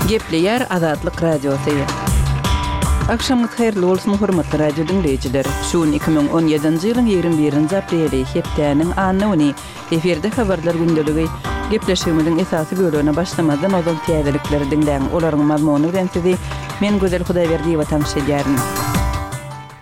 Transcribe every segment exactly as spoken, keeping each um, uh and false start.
Gepleýär Azatlyk Radiosy. Agşamyňyz haýyrly bolsun, hormatly radio diňleýjiler. Şu gün iki müň on ýedinji ýylyň ýigrimi birinji apreli, hepdäniň anna güni. Efirde habarlar gündeligi. Gepleşigimiziň esasy bölegine başlamazdan ozal täzelikleri diňläň. Olaryň mazmuny bilen sizi men Gözel Hudaýberdiýewa tanyş edýärin.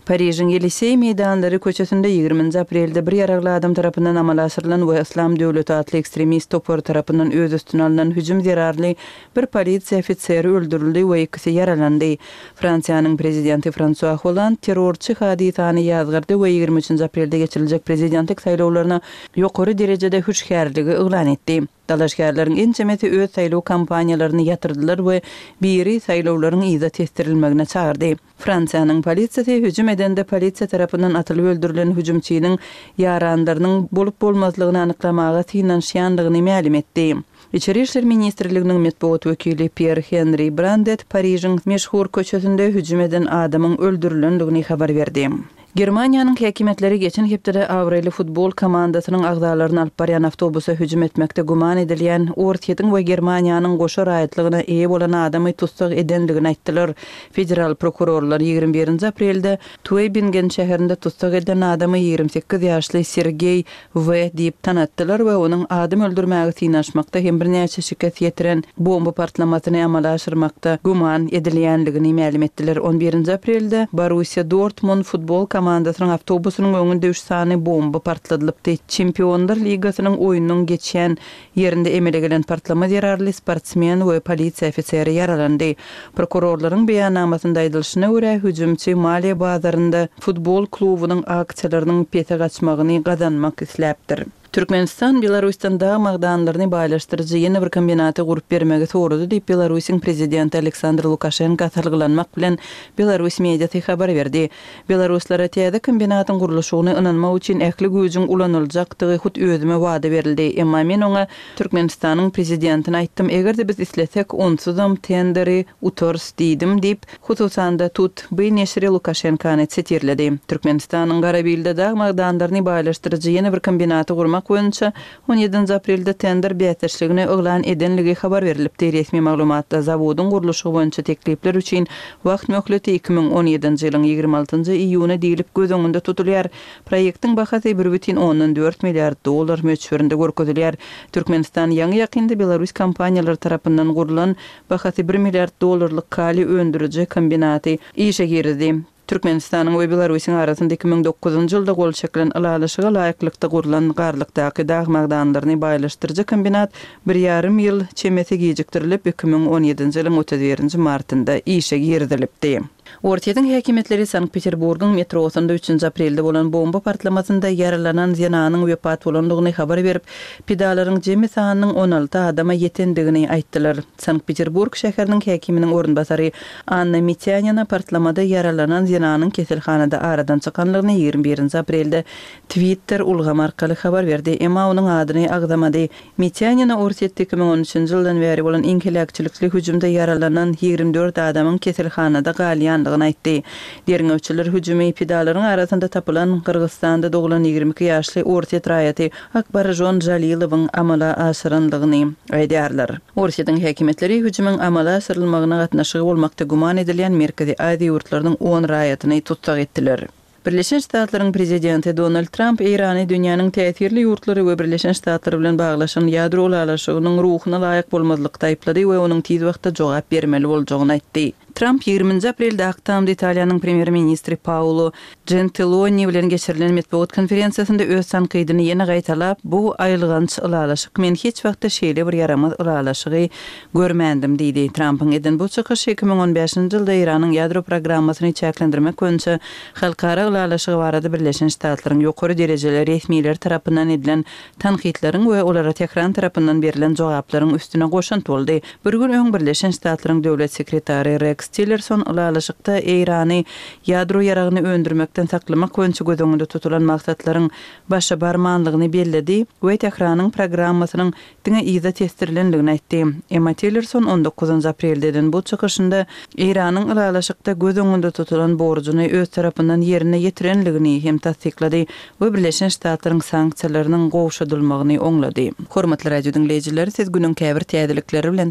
Parižiň Ýeliseý meýdanlary köçesinde ýigriminji aprelde bir ýaragly adam tarapyndan amala aşyrylan we Yslam döwleti atly ekstremist topary tarapyndan öz üstüne alnan hüjüm zerarly bir polisiýa ofiseri öldürildi we ikisi ýaralandy. Fransiýanyň prezidenti Fransua Holland terrorçy hadysany ýazgardy we ýigrimi üçünji aprelde geçiriljek prezidentlik saýlawlaryna ýokary derejede hüşgärligi yglan etdi. Dalaşgärleriň ençemesi öz saýlaw kampaniýalaryny ýatyrdylar we biri saýlawlaryň yza tesdirilmegine çagyrdy. Fransiýanyň polisiýasy hüjüm edende polisiýa tarapyndan atylyp öldürilen hüjümçiniň ýaranlarynyň bolup-bolmazlygyny anyklamaga synanyşýandygyny mälim etdi. Içeri işler ministrliginiň metbugat wekili Pýer-Henri Brandet Parižiň meşhur köçesinde hüjüm eden adamyň öldürilendigini habar berdi. Germaniýanyň häkimiýetleri geçen hepdede abraýly futbol komandasynyň agzalaryny alyp barýan awtobusa hüjüm etmekde güman edilýän Orsýetiň we Germaniýanyň goşa raýatlygyna eýe bolan adamy tussag edendigini aýtdylar. Federal prokurorlar ýigrimi birinji aprelde Tuebingen şäherinde tussag edilen adamy ýigrimi sekiz ýaşly Sergeý W. diýip tanatdylar we onuň adam öldürmäge synanyşmakda hem birnäçe şikes ýetiren bomba partlamasyny amala aşyrmakda güman edilýänligini mälim etdiler. On birinji aprelde Borussiýa Dortmund futbol komandasynyň awtobusynyň öňünde üç sany bomba partladylypdy. Çempionlar ligasynyň oýnunyň geçýän ýerinde emele gelen partlama zerarly sportsmen we polisiýa ofiseri ýaralandy. Prokurorlaryň beýannamasynda aýdylyşyna görä, hüjümçi maliýe bazarynda futbol klubunyň aksiýalarynyň pese gaçmagyny gazanmak isläpdir. Türkmenistan Belarusdan dag magdanlaryny baýlaşdyryjy ýene bir kombinaty gurup bermegi sorady diýip Belarusyň prezidenti Aleksandr Lukaşenko salgylanmak bilen Belarus mediasy habar berdi. Belaruslara täze kombinatyň gurluşygyny ynanmak üçin ähli güýjüň ulanyljakdygy hut özüme wada berildi. Emma men oňa Türkmenistanyň prezidentine aýtdym, eger-de biz islesek, onsuzam tenderi utarys diýdim diýip, hususan-da Tut B neşiri Lukaşenkony sitirledi. Türkmenistanyň Garabilde dag magdanlaryny baýlaşdyryjy ýene bir kombinaty gurmak boýunça on ýedinji aprelde tender bäsdeşligini yglan edenligi habar berilipdi. Resmi maglumatda zawodyň gurluşygy boýunça teklipler üçin wagt möhleti iki müň on ýedinji ýylyň ýigrimi altynjy iýuny diýlip göz öňünde tutulýar. Proýektiň bahasy bir bütin ondan dört milliard dollar möçberinde görkezilýär. Türkmenistan ýaňy ýakynda Belarus kompaniýalary tarapyndan gurlan bahasy bir milliard dollarlyk kaliý öndüriji kombinaty işe girizdi. Türkmenistanyň we Belarusyň arasynda iki müň dokuzynjy ýylda gol çekilen ylalaşyga laýyklykda gurlan Garlykdaky dag magdanlaryny baýlaşdyryjy kombinat bir ýarym ýyl çemesi gijikdirilip, iki müň on ýedinji ýylyň otuz birinji martynda işe girizilipdi. Orsýetiň häkimiýetleri Sankt-Peterburgyň metrosynda üçünji aprelde bolan bomba partlamasynda ýaralanan zenanyň wepat bolandygyny habar berip, pidalaryň jemi sanynyň on alty adama ýetendigini aýtdylar. Sankt-Peterburg şäheriniň häkiminiň orunbasary Anna Mitýanina partlamada ýaralanan zenanyň keselhanada aradan çykanlygyny ýigrimi birinji aprelde Twitter ulgamy arkaly habar berdi, emma onuň adyny agzamady. Mitýanina Orsýetde iki müň on üçünji ýyldan bäri bolan iň heläkçilikli hüjümde ýaralanan ýigrimi dört adamyň keselhanada galýandygyny aýtdy. Derňewçiler hüjümi pidalaryň arasynda tapylan Gyrgyzystanda doglan ýigrimi iki ýaşly Orsýet raýaty Akbarjon Jalilowyň amala aşyrandygyny aýdýarlar. Orsýetiň häkimiýetleri hüjümiň amala aşyrylmagyna gatnaşygy bolmakda güman edilýän Merkezi Aziýa ýurtlarynyň on raýatyny tussag etdiler. Birleşen Ştatlaryň prezidenti Donald Tramp Eýrany dünýäniň täsirli ýurtlary we Birleşen Ştatlar bilen baglaşan ýadro ylalaşygynyň ruhuna laýyk bolmazlykda aýyplady we onuň tiz wagtda jogap bermeli boljagyny aýtdy. Tramp ýigriminji aprelde Ak Tamda Italiýanyň premýer-ministri Paolo Gentiloni bilen geçirilen metbugat konferensiýasynda öz tankydyny ýene gaýtalap, bu aýylganç ylalaşyk, men hiç wagtda şeýle bir ýaramaz ylalaşygy görmändim diýdi. Trampyň eden bu çykyşy iki müň on bäşinji ýylda Eýranyň ýadro programmasyny çäklendirmek boýunça halkara ylalaşygy barada Birleşen Ştatlaryň ýokary derejeli resmileri tarapyndan edilen tankytlaryň we olara Tehran tarapyndan berlen jogaplaryň üstüne goşant boldy. Bir gün öň Birleşen Ştatlaryň döwlet sekretary Rex Tillerson ylalaşykda Eýrany ýadro ýaragyny öndürmekden saklamak boýunça göz öňünde tutulan maksatlaryň başa barmanlygyny belledi we Tehranyň programmasynyň diňe yza tesdirilenligini aýtdy. Emma Tillerson on dokuzynjy aprelde eden bu çykyşynda Eýranyň ylalaşykda göz öňünde tutulan borjuny öz tarapyndan ýerine ýetirenligini hem tassyklady we Birleşen Ştatlaryň sanksiýalarynyň gowşadylmagyny oňlady. Hormatly radio diňleýjiler, siz günüň käbir täzelikleri bilen